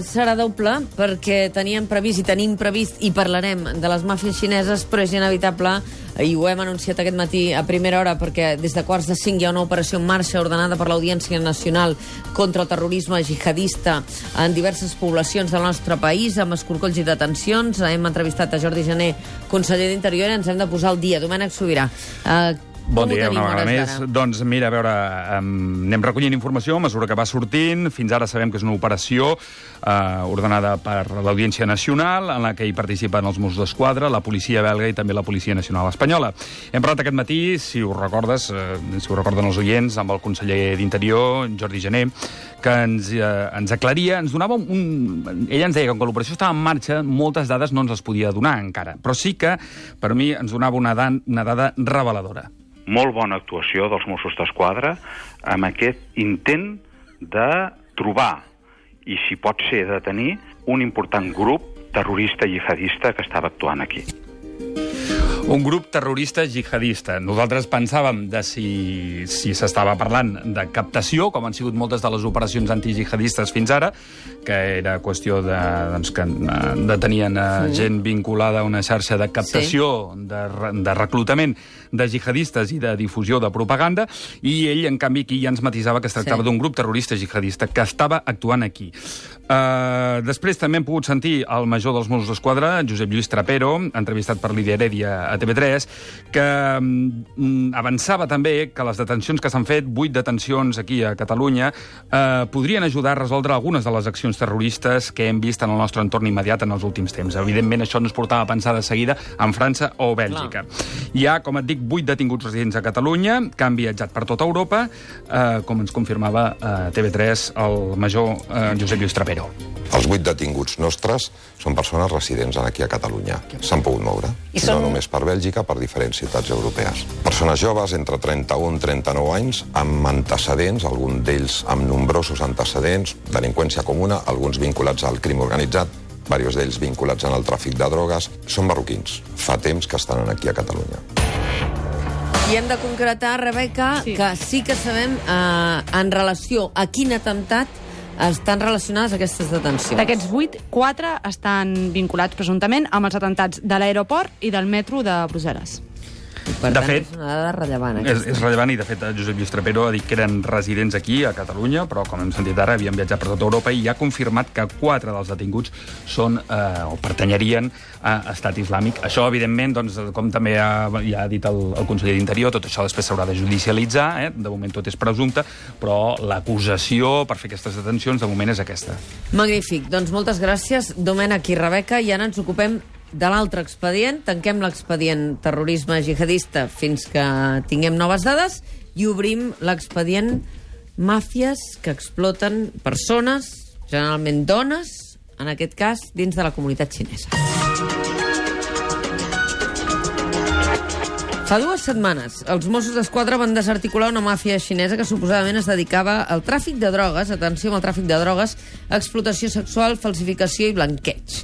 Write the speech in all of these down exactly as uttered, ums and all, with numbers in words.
serà doble perquè teníem previst i tenim previst i parlarem de les màfies xineses, però és inevitable, i ho hem anunciat aquest matí a primera hora, perquè des de quarts de cinc hi ha una operació en marxa ordenada per l'Audiència Nacional contra el terrorisme jihadista en diverses poblacions del nostre país, amb escorcolls i detencions. Hem entrevistat a Jordi Jané, conseller d'Interior, i ens hem de posar al dia. Domènec Sobirà, eh, Bon dia, una vegada més. Doncs mira, a veure, um, anem recollint informació a mesura que va sortint. Fins ara sabem que és una operació uh, ordenada per l'Audiència Nacional, en la que hi participen els Mossos d'Esquadra, la policia belga i també la Policia Nacional Espanyola. Hem parlat aquest matí, si ho recordes, uh, si ho recorden els oients, amb el conseller d'Interior, Jordi Jané, que ens, uh, ens aclaria, ens donava un... Ella ens deia que com que l'operació estava en marxa, moltes dades no ens les podia donar encara, però sí que, per mi, ens donava una, dan, una dada reveladora. Molt bona actuació dels Mossos d'Esquadra amb aquest intent de trobar, i si pot ser de tenir, un important grup terrorista jihadista que estava actuant aquí. Un grup terrorista jihadista. Nosaltres pensàvem de si si s'estava parlant de captació, com han sigut moltes de les operacions antijihadistes fins ara, que era qüestió de, doncs, que detenien sí. gent vinculada a una xarxa de captació, sí. de, de reclutament de jihadistes i de difusió de propaganda, i ell, en canvi, aquí ja ens matisava que es tractava sí. d'un grup terrorista jihadista que estava actuant aquí. Uh, després també hem pogut sentir el major dels Mossos d'Esquadra, Josep Lluís Trapero, entrevistat per Lídia Heredia a T V tres, que um, avançava també que les detencions que s'han fet, vuit detencions aquí a Catalunya, uh, podrien ajudar a resoldre algunes de les accions terroristes que hem vist en el nostre entorn immediat en els últims temps. Evidentment, això ens portava a pensar de seguida en França o Bèlgica. Clar. Hi ha, com et dic, vuit detinguts residents a Catalunya, que han viatjat per tota Europa, uh, com ens confirmava a T V tres el major uh, Josep Lluís Trapero. Els vuit detinguts nostres són persones residents aquí a Catalunya. S'han pogut moure, I són... no només per Bèlgica, per diferents ciutats europees. Persones joves, entre trenta-un i trenta-nou anys, amb antecedents, alguns d'ells amb nombrosos antecedents, delinqüència comuna, alguns vinculats al crim organitzat, diversos d'ells vinculats en el tràfic de drogues. Són marroquins. Fa temps que estan aquí a Catalunya. I hem de concretar, Rebeca, sí. que sí que sabem eh, en relació a quin atemptat estan relacionades aquestes detencions. D'aquests vuit, quatre estan vinculats presumptament amb els atentats de l'aeroport i del metro de Brussel·les. Per de tant, fet, és una dada rellevant. És, és rellevant, i de fet Josep Lluís Trapero ha dit que eren residents aquí, a Catalunya, però com hem sentit ara, havien viatjat per tota Europa, i ha confirmat que quatre dels detinguts són, eh, o pertanyerien a Estat Islàmic. Això, evidentment, doncs, com també ha, ja ha dit el, el conseller d'Interior, tot això després s'haurà de judicialitzar, eh? De moment tot és presumpte, però l'acusació per fer aquestes detencions, de moment, és aquesta. Magnífic. Doncs moltes gràcies, Domènec i Rebeca, i ara ens ocupem de l'altre expedient. Tanquem l'expedient terrorisme jihadista fins que tinguem noves dades i obrim l'expedient màfies que exploten persones, generalment dones, en aquest cas, dins de la comunitat xinesa. Fa dues setmanes, els Mossos d'Esquadra van desarticular una màfia xinesa que suposadament es dedicava al tràfic de drogues, atenció amb el tràfic de drogues, explotació sexual, falsificació i blanqueig.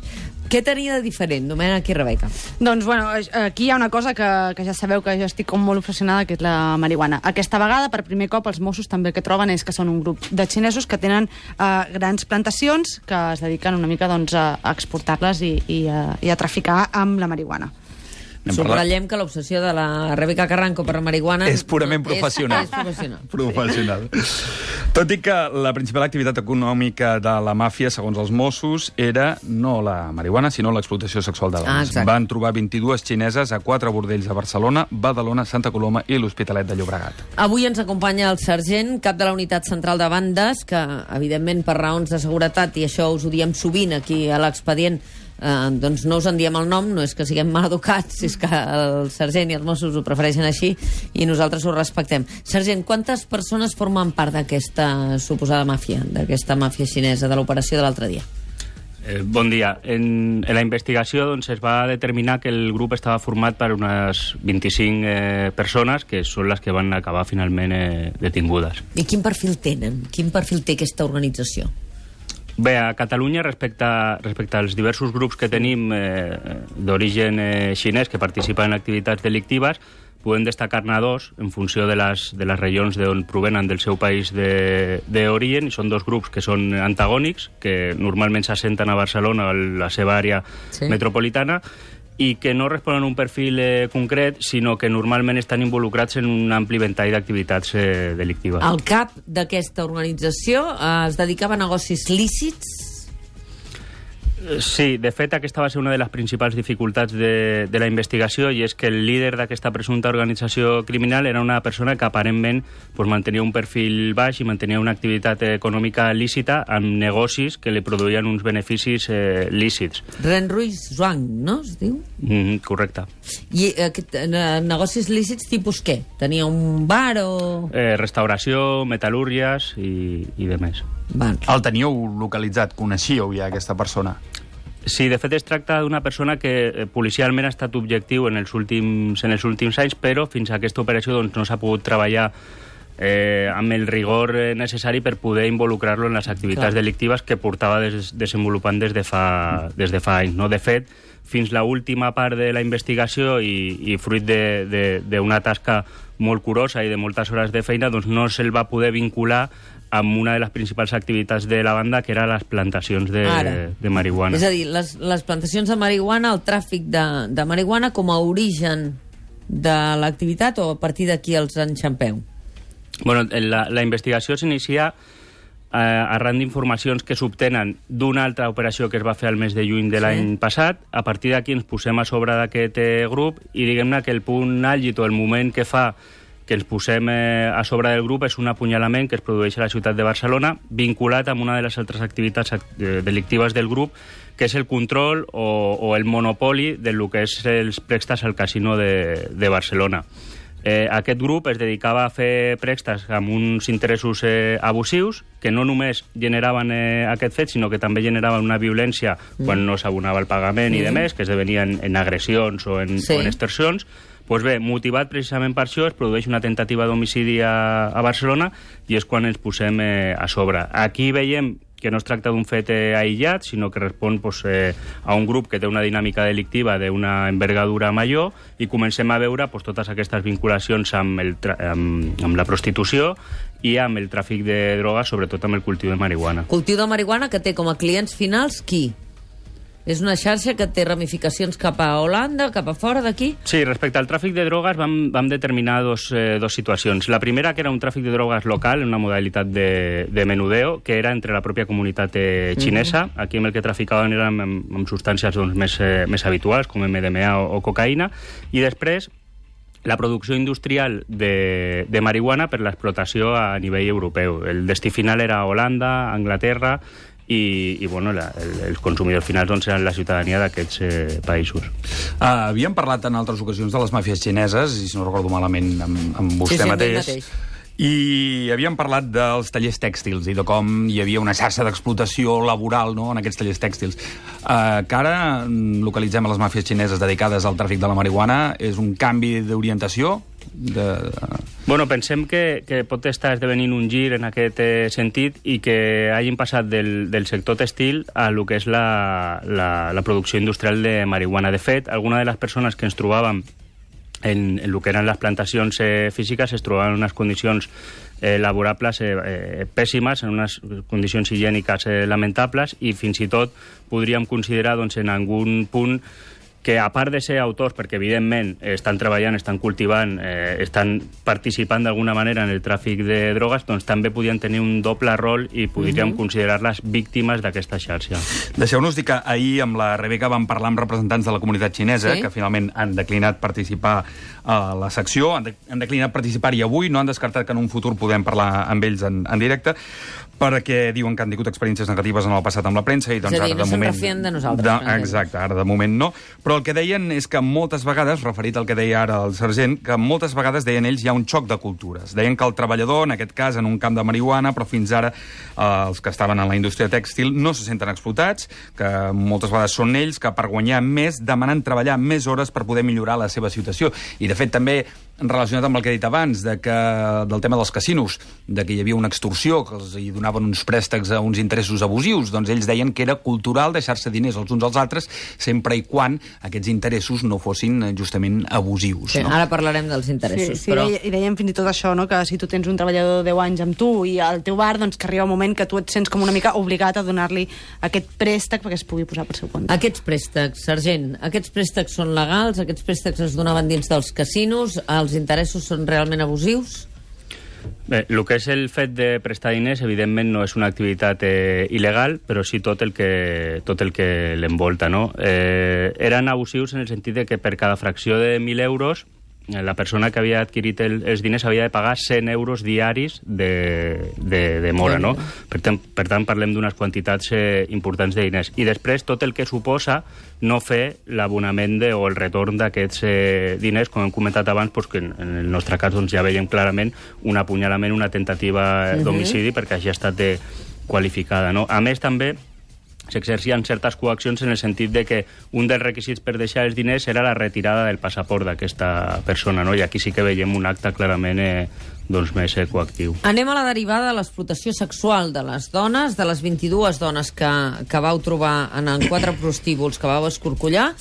Què tenia de diferent, Domènec i Rebeca? Doncs, bueno, aquí hi ha una cosa que, que ja sabeu que jo estic com molt obsessionada, que és la marihuana. Aquesta vegada, per primer cop, els Mossos també el que troben és que són un grup de xinesos que tenen eh, grans plantacions que es dediquen una mica doncs, a exportar-les i, i, a, i a traficar amb la marihuana. Subratllem que l'obsessió de la Rebeca Carranco per la marihuana és purament professional. És, és professional. professional. Tot i que la principal activitat econòmica de la màfia, segons els Mossos, era no la marihuana, sinó l'explotació sexual de dones. Ah, van trobar vint-i-dues xineses a quatre bordells de Barcelona, Badalona, Santa Coloma i l'Hospitalet de Llobregat. Avui ens acompanya el sergent, cap de la unitat central de bandes, que, evidentment, per raons de seguretat, i això us ho diem sovint aquí a l'expedient, Eh, doncs no us en diem el nom, no és que siguem mal educats, és que el sergent i els Mossos ho prefereixen així i nosaltres ho respectem. Sergent, quantes persones formen part d'aquesta suposada màfia, d'aquesta màfia xinesa, de l'operació de l'altre dia? Eh, bon dia. En, en la investigació doncs, es va determinar que el grup estava format per unes vint-i-cinc eh, persones, que són les que van acabar finalment eh, detingudes. I quin perfil tenen? Quin perfil té aquesta organització? Bé, a Catalunya, respecte, respecte als diversos grups que tenim eh, d'origen eh, xinès que participen en activitats delictives, podem destacar-ne dos en funció de les, de les regions d'on provenen del seu país d'origen, i són dos grups que són antagònics, que normalment s'assenten a Barcelona, a la seva àrea sí. metropolitana, i que no responen a un perfil eh, concret, sinó que normalment estan involucrats en un ampli ventall d'activitats eh, delictives. El cap d'aquesta organització eh, es dedicava a negocis lícits? Sí, de fet, aquesta va ser una de les principals dificultats de, de la investigació, i és que el líder d'aquesta presumpta organització criminal era una persona que aparentment pues, mantenia un perfil baix i mantenia una activitat econòmica lícita amb negocis que li produïen uns beneficis eh, lícits. Renruis Zhuang, no es diu? Mm, correcte. I aquest, eh, negocis lícits tipus què? Tenia un bar o...? Eh, restauració, metal·lúrgies i, i de més. Van. El teníeu localitzat? Coneixíeu ja aquesta persona? Sí, de fet es tracta d'una persona que eh, policialment ha estat objectiu en els últims, en els últims anys, però fins a aquesta operació doncs, no s'ha pogut treballar eh, amb el rigor necessari per poder involucrar-lo en les activitats Clar. delictives que portava des, desenvolupant des de fa, des de fa anys. No? De fet, fins la última part de la investigació i, i fruit d'una tasca molt curosa i de moltes hores de feina, doncs no se'l va poder vincular amb una de les principals activitats de la banda, que eren les plantacions de, de marihuana. És a dir, les, les plantacions de marihuana, el tràfic de, de marihuana com a origen de l'activitat, o a partir d'aquí els enxampeu? Bueno, la, la investigació s'inicia eh, arran d'informacions que s'obtenen d'una altra operació que es va fer al mes de juny de sí. l'any passat. A partir d'aquí ens posem a sobre d'aquest eh, grup i diguem-ne que el punt àlgid o el moment que fa que ens posem eh, a sobre del grup és un apunyalament que es produeix a la ciutat de Barcelona, vinculat amb una de les altres activitats eh, delictives del grup, que és el control o, o el monopoli del que és els préstecs al casino de, de Barcelona. Eh, aquest grup es dedicava a fer préstecs amb uns interessos eh, abusius, que no només generaven eh, aquest fet, sinó que també generaven una violència mm. quan no s'abonava el pagament mm. i de més, que esdevenien en agressions o en, sí. o en extorsions. Pues bé, motivat precisament per això, es produeix una tentativa d'homicidi a, a Barcelona i és quan ens posem eh, a sobre. Aquí veiem que no es tracta d'un fet eh, aïllat, sinó que respon pues, eh, a un grup que té una dinàmica delictiva d'una envergadura major, i comencem a veure pues, totes aquestes vinculacions amb, el amb, amb la prostitució i amb el tràfic de drogues, sobretot amb el cultiu de marihuana. Cultiu de marihuana que té com a clients finals qui? És una xarxa que té ramificacions cap a Holanda, cap a fora d'aquí? Sí, respecte al tràfic de drogues vam, vam determinar dos, eh, dos situacions. La primera, que era un tràfic de drogues local, en una modalitat de, de menudeo, que era entre la pròpia comunitat eh, xinesa. Mm-hmm. Aquí amb el que traficaven eren amb, amb substàncies doncs, més, eh, més habituals, com M D M A o, o cocaïna, i després la producció industrial de, de marihuana per l'explotació a nivell europeu. El destí final era Holanda, Anglaterra, i, i bueno, la, el, els consumidors finals doncs, eren la ciutadania d'aquests eh, països. Uh, havíem parlat en altres ocasions de les màfies xineses, i si no recordo malament amb, amb vostè sí, sí, mateix, mateix, i havíem parlat dels tallers tèxtils i de com hi havia una xarxa d'explotació laboral, no?, en aquests tallers tèxtils. Uh, que ara localitzem a les màfies xineses dedicades al tràfic de la marihuana. És un canvi d'orientació? De... Bueno, pensem que, que pot estar esdevenint un gir en aquest eh, sentit, i que hagin passat del, del sector textil a lo que és la, la, la producció industrial de marihuana. De fet, alguna de les persones que ens trobàvem en, en el que eren les plantacions eh, físiques es trobaven en unes condicions eh, laborables eh, eh, pèssimes, en unes condicions higièniques eh, lamentables, i fins i tot podríem considerar doncs, en algun punt que, a part de ser autors, perquè evidentment estan treballant, estan cultivant, eh, estan participant d'alguna manera en el tràfic de drogues, doncs també podien tenir un doble rol i podríem mm-hmm. considerar-les víctimes d'aquesta xarxa. Deixeu-nos dir que ahir amb la Rebeca vam parlar amb representants de la comunitat xinesa, sí? que finalment han declinat participar a la secció, han, de, han declinat participar-hi avui, no han descartat que en un futur podem parlar amb ells en, en directe, perquè diuen que han tingut experiències negatives en el passat amb la premsa, i doncs és a dir, ara de no moment... se'n refien de nosaltres. De, exacte, ara de moment no. Però el que deien és que moltes vegades, referit al que deia ara el sergent, que moltes vegades, deien ells, hi ha un xoc de cultures. Deien que el treballador, en aquest cas, en un camp de marihuana, però fins ara eh, els que estaven en la indústria tèxtil no se senten explotats, que moltes vegades són ells que per guanyar més demanen treballar més hores per poder millorar la seva situació. I, de fet, també relacionat amb el que he dit abans, de que, del tema dels casinos, de que hi havia una extorsió, que els hi donaven uns préstecs a uns interessos abusius, doncs ells deien que era cultural deixar-se diners els uns als altres, sempre i quan aquests interessos no fossin justament abusius. Sí, no? Ara parlarem dels interessos. Sí, sí, però... i dèiem fins i tot això, no? Que si tu tens un treballador de deu anys amb tu i al teu bar, doncs que arriba un moment que tu et sents com una mica obligat a donar-li aquest préstec perquè es pugui posar per seu compte. Aquests préstecs, sergent, aquests préstecs són legals? Aquests préstecs es donaven dins dels casinos? Els interessos són realment abusius? Bé, el que és el fet de prestar diners, evidentment, no és una activitat eh, il·legal, però sí tot el que, tot el que l'envolta, no? Eh, eren abusius en el sentit de que per cada fracció de mil euros la persona que havia adquirit el, els diners havia de pagar cent euros diaris de, de, de mora, no? Per tant, per tant parlem d'unes quantitats eh, importants de diners. I després tot el que suposa no fer l'abonament de, o el retorn d'aquests eh, diners, com hem comentat abans, doncs, que en, en el nostre cas doncs, ja veiem clarament un apunyalament, una tentativa d'homicidi, uh-huh. perquè hagi estat de, qualificada, no? A més, també s'exercien certes coaccions en el sentit de que un dels requisits per deixar els diners era la retirada del passaport d'aquesta persona, no? I aquí sí que veiem un acte clarament eh, doncs més eh, coactiu. Anem a la derivada de l'explotació sexual de les dones, de les vint-i-dues dones que, que vau trobar en, en quatre prostíbuls que vau escorcollar.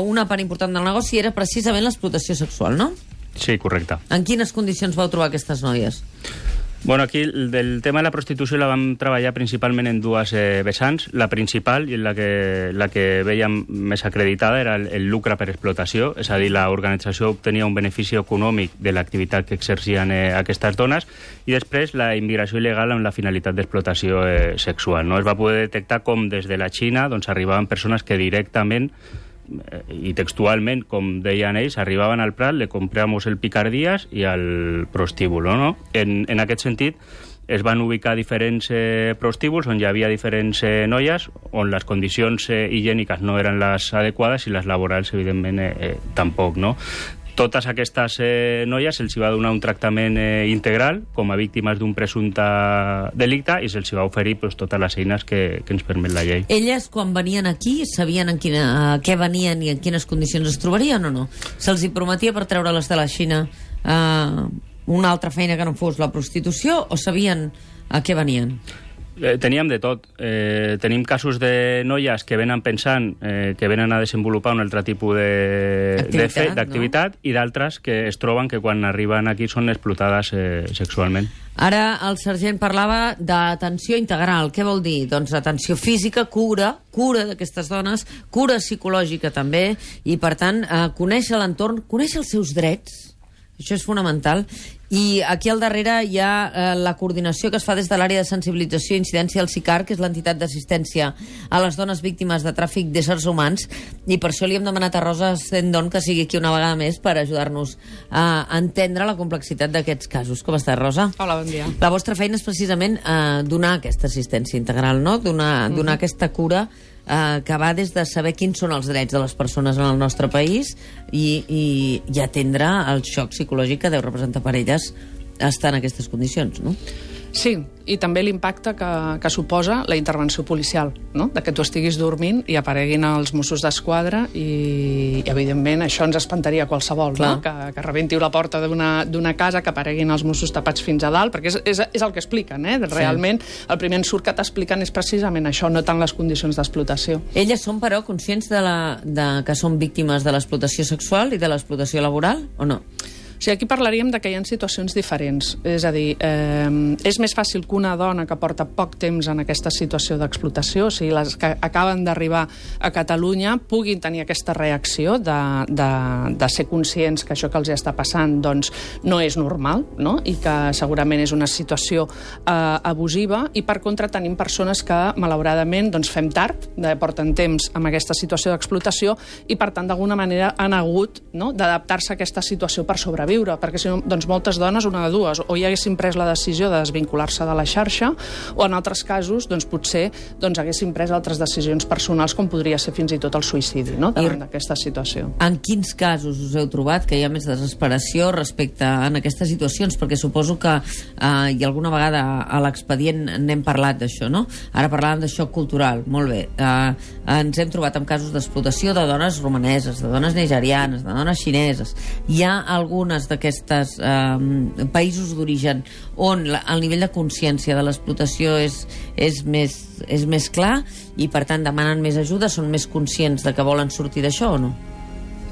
Una part important del negoci era precisament l'explotació sexual, no? Sí, correcte. En quines condicions vau trobar aquestes noies? Bueno, aquí el del tema de la prostitució la vam treballar principalment en dues eh, vessants. La principal, i la que, la que veiem més acreditada, era el, el lucre per explotació, és a dir, l'organització obtenia un benefici econòmic de l'activitat que exercien eh, aquestes dones, i després la immigració il·legal amb la finalitat d'explotació eh, sexual. No? Es va poder detectar com des de la Xina doncs, arribaven persones que directament i textualment, com deien ells, arribaven al Prat, le compramos el picardías i al prostíbulo, no? En, en aquest sentit, es van ubicar diferents eh, prostíbuls on hi havia diferents eh, noies, on les condicions eh, higièniques no eren les adequades i les laborals, evidentment, eh, eh, tampoc, no? Totes aquestes eh, noies se'ls va donar un tractament eh, integral com a víctimes d'un presumpte delicte i se'ls va oferir pues, totes les eines que, que ens permet la llei. Elles, quan venien aquí, sabien en quina, a què venien i en quines condicions es trobarien o no? Se'ls hi prometia per treure-les de la Xina eh, una altra feina que no fos la prostitució o sabien a què venien? Eh, teníem de tot. Eh, tenim casos de noies que venen pensant eh, que venen a desenvolupar un altre tipus d'activitat, no? I d'altres que es troben que quan arriben aquí són explotades eh, sexualment. Ara el sergent parlava d'atenció integral. Què vol dir? Doncs atenció física, cura, cura d'aquestes dones, cura psicològica també, i per tant eh, conèixer l'entorn, conèixer els seus drets. Això és fonamental. I aquí al darrere hi ha eh, la coordinació que es fa des de l'àrea de sensibilització i incidència del SICAR, que és l'entitat d'assistència a les dones víctimes de tràfic d'éssers humans, i per això li hem demanat a Rosa Sendon que sigui aquí una vegada més per ajudar-nos a entendre la complexitat d'aquests casos. Com estàs, Rosa? Hola, bon dia. La vostra feina és precisament eh, donar aquesta assistència integral, no? Donar, mm-hmm. donar aquesta cura eh, que va des de saber quins són els drets de les persones en el nostre país i, i, i atendre el xoc psicològic que deu representar per elles estar en aquestes condicions, no? Sí, i també l'impacte que, que suposa la intervenció policial, no? De que tu estiguis dormint i apareguin els Mossos d'Esquadra i, i evidentment, això ens espantaria qualsevol, no? Que, que rebentiu la porta d'una casa, que apareguin els Mossos tapats fins a dalt, perquè és, és, és el que expliquen, eh? Realment, sí. El primer ensurt que t'expliquen és precisament això, no tant les condicions d'explotació. Elles són, però, conscients de, la, de que són víctimes de l'explotació sexual i de l'explotació laboral, o no? O sigui, aquí parlaríem de que hi ha situacions diferents. És a dir, eh, és més fàcil que una dona que porta poc temps en aquesta situació d'explotació, o sigui, les que acaben d'arribar a Catalunya, puguin tenir aquesta reacció de, de, de ser conscients que això que els està passant doncs, no és normal, no? I que segurament és una situació eh, abusiva, i per contra tenim persones que, malauradament, doncs, fem tard, de, porten temps amb aquesta situació d'explotació i, per tant, d'alguna manera han hagut, no?, d'adaptar-se a aquesta situació per sobreviure, perquè si no, doncs moltes dones, una de dues, o ja haguessin pres la decisió de desvincular-se de la xarxa, o en altres casos, doncs potser doncs, haguessin pres altres decisions personals, com podria ser fins i tot el suïcidi, no?, davant d'aquesta situació. En quins casos us heu trobat que hi ha més desesperació respecte a aquestes situacions? Perquè suposo que eh, i alguna vegada a l'expedient n'hem parlat d'això, no? Ara parlàvem de xoc cultural, molt bé. Eh, ens hem trobat amb casos d'explotació de dones romaneses, de dones nigerianes, de dones xineses. Hi ha alguna algunes d'aquestes eh, països d'origen on la, el nivell de consciència de l'explotació és, és, més, és més clar i, per tant, demanen més ajuda, són més conscients de que volen sortir d'això o no?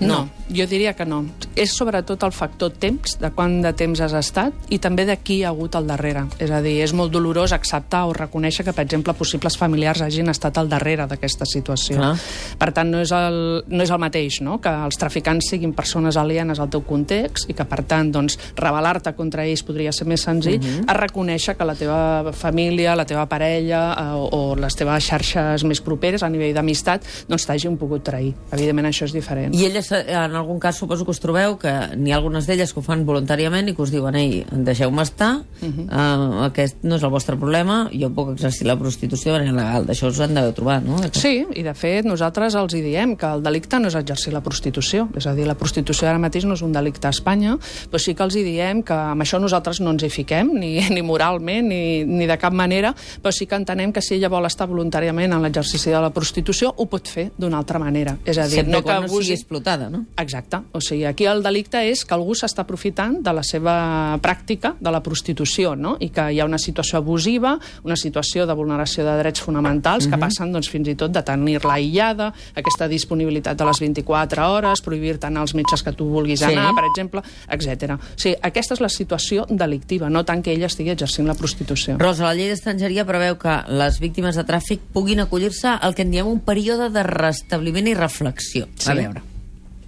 No, jo diria que no. És sobretot el factor temps, de quant de temps has estat i també de qui ha hagut al darrere. És a dir, és molt dolorós acceptar o reconèixer que, per exemple, possibles familiars hagin estat al darrere d'aquesta situació. Ah. Per tant, no és, el, no és el mateix, no?, que els traficants siguin persones alienes al teu context i que, per tant, doncs, rebel·lar-te contra ells podria ser més senzill, uh-huh. a reconèixer que la teva família, la teva parella eh, o, o les teves xarxes més properes a nivell d'amistat doncs t'hagin pogut trair. Evidentment, això és diferent. I elles, en algun cas, suposo que us trobeu que n'hi ha algunes d'elles que ho fan voluntàriament i que us diuen, ei, deixeu-me estar, uh-huh. uh, aquest no és el vostre problema, jo puc exercir la prostitució de manera legal. D'això us han d'haver trobat, no? Sí, i de fet nosaltres els hi diem que el delicte no és exercir la prostitució, és a dir, la prostitució ara mateix no és un delicte a Espanya, però sí que els hi diem que amb això nosaltres no ens hi fiquem, ni, ni moralment, ni, ni de cap manera, però sí que entenem que si ella vol estar voluntàriament en l'exercici de la prostitució, ho pot fer d'una altra manera. És a dir, sempre no que no sigui explotada, no? Exacte. O sigui, aquí el delicte és que algú s'està aprofitant de la seva pràctica de la prostitució, no? I que hi ha una situació abusiva, una situació de vulneració de drets fonamentals que passen, doncs, fins i tot de tenir-la aïllada, aquesta disponibilitat de les vint-i-quatre hores, prohibir-te anar als metges que tu vulguis anar, Sí. per exemple, etcètera. O sigui, aquesta és la situació delictiva, no tant que ella estigui exercint la prostitució. Rosa, la llei d'estrangeria preveu que les víctimes de tràfic puguin acollir-se al que en diem un període de restabliment i reflexió. Sí. A veure,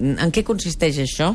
en què consisteix això?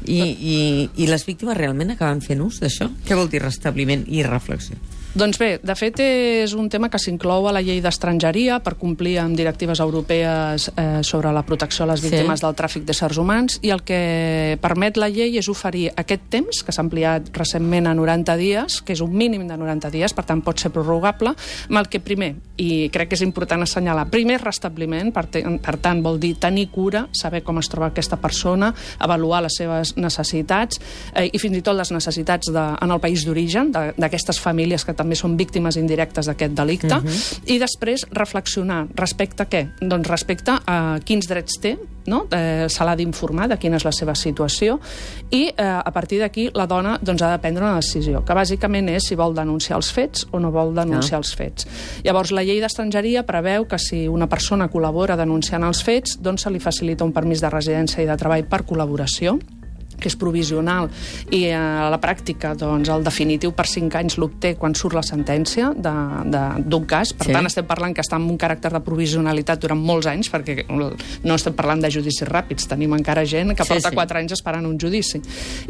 I, i, i les víctimes realment acaben fent ús d'això? Què vol dir restabliment i reflexió? Doncs bé, de fet és un tema que s'inclou a la llei d'estrangeria per complir amb directives europees eh, sobre la protecció a les víctimes Sí. del tràfic d'éssers humans, i el que permet la llei és oferir aquest temps, que s'ha ampliat recentment a noranta dies, que és un mínim de noranta dies, per tant pot ser prorrogable, amb el que primer, i crec que és important assenyalar, primer restabliment, per, te, per tant vol dir tenir cura, saber com es troba aquesta persona, avaluar les seves necessitats eh, i fins i tot les necessitats de, en el país d'origen, d'aquestes famílies que també també són víctimes indirectes d'aquest delicte, uh-huh. i després reflexionar respecte a què? Doncs respecte a quins drets té, no? eh, se l'ha d'informar de quina és la seva situació, i eh, a partir d'aquí la dona doncs, ha de prendre una decisió, que bàsicament és si vol denunciar els fets o no vol denunciar ah. els fets. Llavors, la llei d'estrangeria preveu que si una persona col·labora denunciant els fets, doncs se li facilita un permís de residència i de treball per col·laboració, que és provisional, i a la pràctica doncs, el definitiu per cinc anys l'obté quan surt la sentència d'un cas. Per sí. tant, estem parlant que està amb un caràcter de provisionalitat durant molts anys, perquè no estem parlant de judicis ràpids, tenim encara gent que porta sí, quatre sí. anys esperant un judici.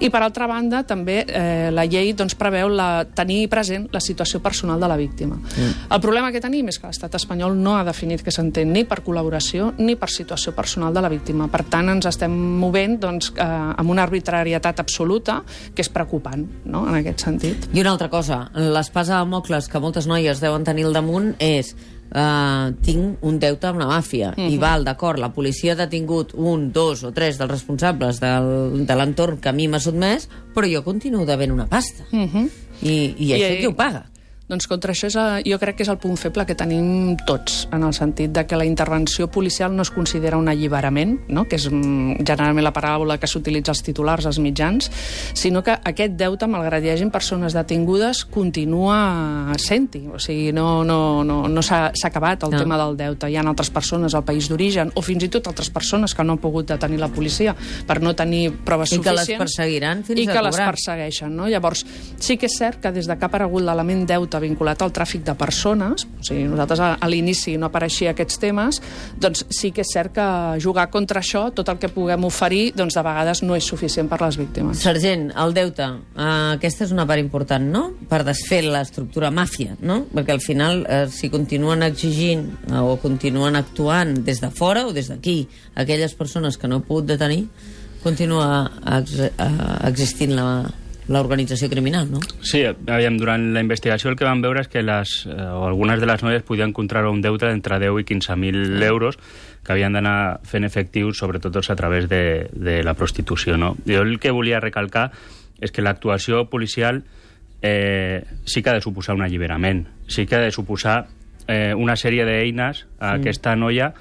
I per altra banda, també eh, la llei doncs, preveu la, tenir present la situació personal de la víctima. Mm. El problema que tenim és que l'estat espanyol no ha definit que s'entén ni per col·laboració ni per situació personal de la víctima. Per tant, ens estem movent doncs, eh, amb una arbitrarietat absoluta, que és preocupant, no?, en aquest sentit. I una altra cosa, l'espasa de Damocles que moltes noies deuen tenir al damunt és uh, tinc un deute amb la màfia, uh-huh. i val, d'acord, la policia ha detingut un, dos o tres dels responsables del, de l'entorn que a mi m'ha sotmès, però jo continuo devent una pasta. Uh-huh. I, i això I, qui ho paga? Doncs contra això és, jo crec que és el punt feble que tenim tots, en el sentit de que la intervenció policial no es considera un alliberament, no?, que és generalment la paraula que s'utilitza als titulars, als mitjans, sinó que aquest deute, malgrat hi hagin persones detingudes, continua sent-hi. O sigui, no, no, no, no s'ha acabat el no. tema del deute. Hi ha altres persones al país d'origen, o fins i tot altres persones que no han pogut detenir la policia per no tenir proves I suficients. I que les perseguiran fins I a que cobrar. les persegueixen, no? Llavors, sí que és cert que des de que ha aparegut l'element deute vinculat al tràfic de persones, o sigui, nosaltres a, a l'inici no apareixia aquests temes, doncs sí que és cert que jugar contra això, tot el que puguem oferir, doncs de vegades no és suficient per les víctimes. Sergent, el deute, uh, aquesta és una part important, no?, per desfer l'estructura màfia, no?, perquè al final, uh, si continuen exigint uh, o continuen actuant des de fora o des d'aquí, aquelles persones que no heu pogut detenir, continua ex uh, existint la l'organització criminal, no? Sí, aviam, durant la investigació el que vam veure és que les, eh, o algunes de les noies podien contraure un deute d'entre deu i quinze mil euros que havien d'anar fent efectius, sobretot a través de, de la prostitució, no? Jo el que volia recalcar és que l'actuació policial eh, sí que ha de suposar un alliberament, sí que ha de suposar eh, una sèrie d'eines a mm. aquesta noia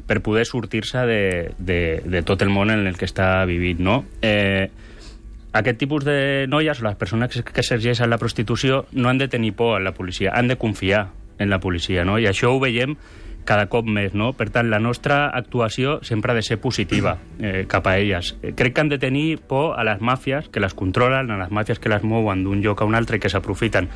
per poder sortir-se de, de, de tot el món en el que està vivint, no? Eh, aquest tipus de noies o les persones que exerceixen la prostitució no han de tenir por a la policia, han de confiar en la policia, no? I això ho veiem cada cop més, no? Per tant, la nostra actuació sempre ha de ser positiva eh, cap a elles. Crec que han de tenir por a les màfies que les controlen, a les màfies que les mouen d'un lloc a un altre i que s'aprofiten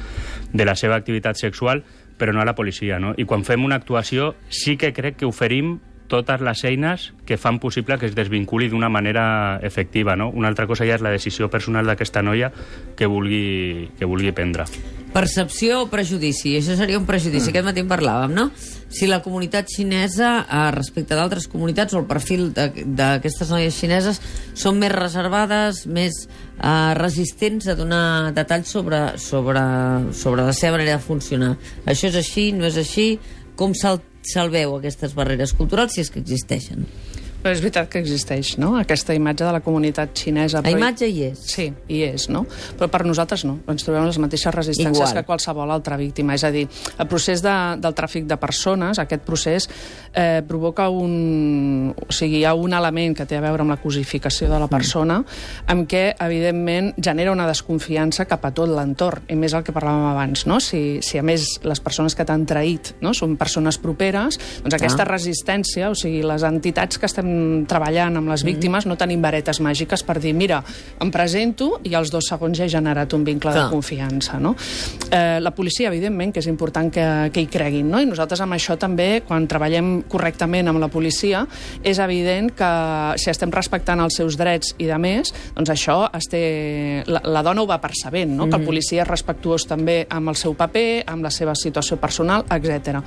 de la seva activitat sexual, però no a la policia, no? I quan fem una actuació sí que crec que oferim totes les eines que fan possible que es desvinculi d'una manera efectiva, no? Una altra cosa ja és la decisió personal d'aquesta noia que vulgui, que vulgui prendre. Percepció o prejudici? Això seria un prejudici. Mm. Aquest matí en parlàvem, no? Si la comunitat xinesa, eh, respecte d'altres comunitats, o el perfil d'aquestes noies xineses, són més reservades, més eh, resistents a donar detalls sobre, sobre, sobre la seva manera de funcionar. Això és així, no és així? Com se'l salveu aquestes barreres culturals, si és que existeixen? Però és veritat que existeix, no?, aquesta imatge de la comunitat xinesa. La imatge hi és. Sí, hi és, no? Però per nosaltres no. Ens trobem les mateixes resistències Igual. que qualsevol altra víctima. És a dir, el procés de, del tràfic de persones, aquest procés eh, provoca un... O sigui, hi ha un element que té a veure amb la cosificació de la persona, amb què, evidentment, genera una desconfiança cap a tot l'entorn. I més el que parlàvem abans, no? Si, si a més les persones que t'han traït, no?, són persones properes, doncs aquesta ah. resistència, o sigui, les entitats que estem treballant amb les víctimes, mm. no tenim varetes màgiques per dir, mira, em presento i als dos segons ja he generat un vincle Clar. de confiança, no? Eh, la policia, evidentment, que és important que, que hi creguin, no? I nosaltres amb això també, quan treballem correctament amb la policia, és evident que si estem respectant els seus drets i de més, doncs això es té... La, la dona ho va percebent, no? Mm. Que el policia és respectuós també amb el seu paper, amb la seva situació personal, etcètera.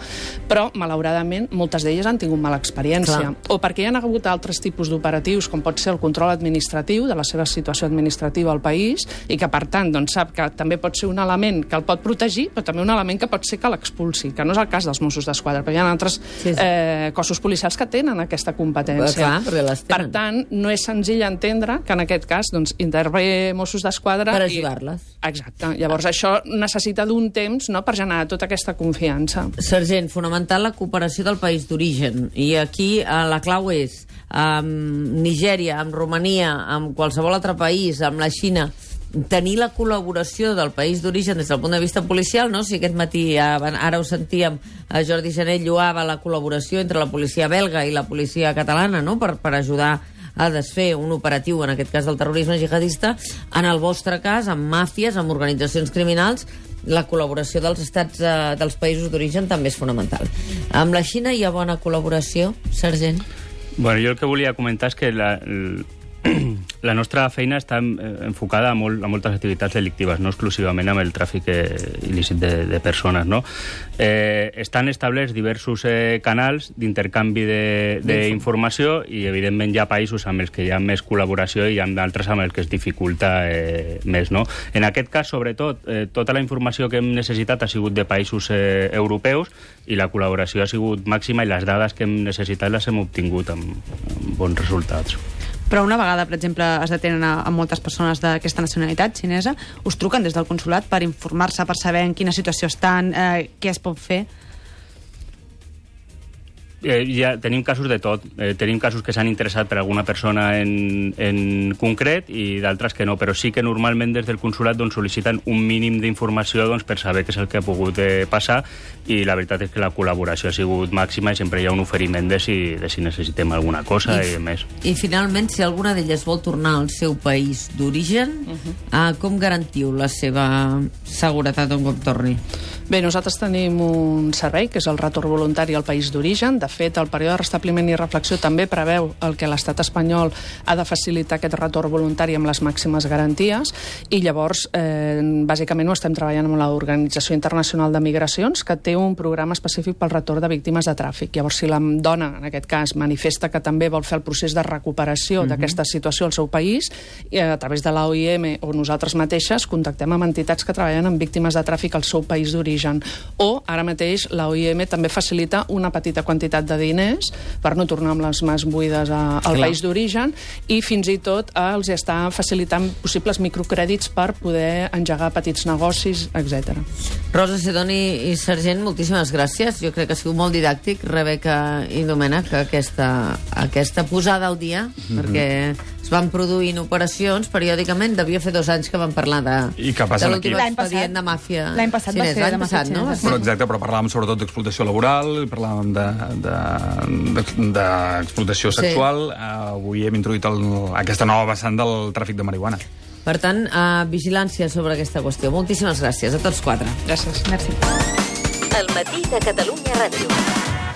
Però, malauradament, moltes d'elles han tingut mala experiència. Clar. O perquè hi ha hagut altres tipus d'operatius, com pot ser el control administratiu de la seva situació administrativa al país, i que, per tant, doncs, sap que també pot ser un element que el pot protegir, però també un element que pot ser que l'expulsi, que no és el cas dels Mossos d'Esquadra, però hi ha altres sí, sí. Eh, cossos policials que tenen aquesta competència. Clar, per tant, no és senzill entendre que en aquest cas doncs, intervé Mossos d'Esquadra... Per ajudar-les. I... Exacte. Llavors, això necessita d'un temps, no?, per generar tota aquesta confiança. Sergent, fonamental la cooperació del país d'origen. I aquí eh, la clau és amb Nigèria, amb Romania, amb qualsevol altre país, amb la Xina, tenir la col·laboració del país d'origen des del punt de vista policial, no? Si aquest matí, ara ho sentíem, Jordi Jané lloava la col·laboració entre la policia belga i la policia catalana, no?, per, per ajudar a desfer un operatiu, en aquest cas del terrorisme jihadista. En el vostre cas, amb màfies, amb organitzacions criminals, la col·laboració dels estats eh, dels països d'origen també és fonamental. Amb la Xina hi ha bona col·laboració, sergent? Bueno, jo el que volia comentar és que la, la nostra feina està enfocada a, molt, a moltes activitats delictives, no exclusivament amb el tràfic il·lícit de, de persones, no? Eh, estan establerts diversos eh, canals d'intercanvi d'informació i, evidentment, hi ha països amb els que hi ha més col·laboració i hi ha d'altres amb els que es dificulta eh, més, no? En aquest cas, sobretot, eh, tota la informació que hem necessitat ha sigut de països eh, europeus i la col·laboració ha sigut màxima i les dades que hem necessitat les hem obtingut amb, amb bons resultats. Però una vegada, per exemple, es detenen a, a moltes persones d'aquesta nacionalitat xinesa, us truquen des del consulat per informar-se, per saber en quina situació estan, eh, què es pot fer? Eh, ja tenim casos de tot. Eh, tenim casos que s'han interessat per alguna persona en, en concret i d'altres que no, però sí que normalment des del consulat doncs, sol·liciten un mínim d'informació doncs, per saber què és el que ha pogut eh, passar, i la veritat és que la col·laboració ha sigut màxima i sempre hi ha un oferiment de si, de si necessitem alguna cosa i, i més. I finalment, si alguna d'elles vol tornar al seu país d'origen, uh -huh. eh, com garantiu la seva seguretat un cop torni? Bé, nosaltres tenim un servei, que és el retorn voluntari al país d'origen. De fet, el període de restabliment i reflexió també preveu el que l'estat espanyol ha de facilitar aquest retorn voluntari amb les màximes garanties, i llavors, eh, bàsicament, ho estem treballant amb l'Organització Internacional de Migracions, que té un programa específic pel retorn de víctimes de tràfic. Llavors, si la dona, en aquest cas, manifesta que també vol fer el procés de recuperació uh-huh. d'aquesta situació al seu país, i a través de l'O I M o nosaltres mateixes contactem amb entitats que treballen amb víctimes de tràfic al seu país d'origen. O, ara mateix, l'O I M també facilita una petita quantitat de diners per no tornar amb les mans buides a, al Clar. país d'origen, i fins i tot eh, els està facilitant possibles microcrèdits per poder engegar petits negocis, etcètera. Rosa Sidoni i Sergent, moltíssimes gràcies. Jo crec que ha sigut molt didàctic, Rebeca i Domènec, aquesta, aquesta posada al dia, mm-hmm. perquè es van produint operacions periòdicament. Devia fer dos anys que vam parlar de, I què passa de aquí? l'últim L'any passat. expedient de màfia L'any passat va xinesa. ser de L'any màfia passat, no? xinesa, sí. Però exacte, però parlàvem sobretot d'explotació laboral, parlàvem d'explotació Sí. sexual. Avui hem introduït el, aquesta nova vessant del tràfic de marihuana. Per tant, uh, vigilància sobre aquesta qüestió. Moltíssimes gràcies a tots quatre. Gràcies. Merci. El matí de Catalunya Ràdio.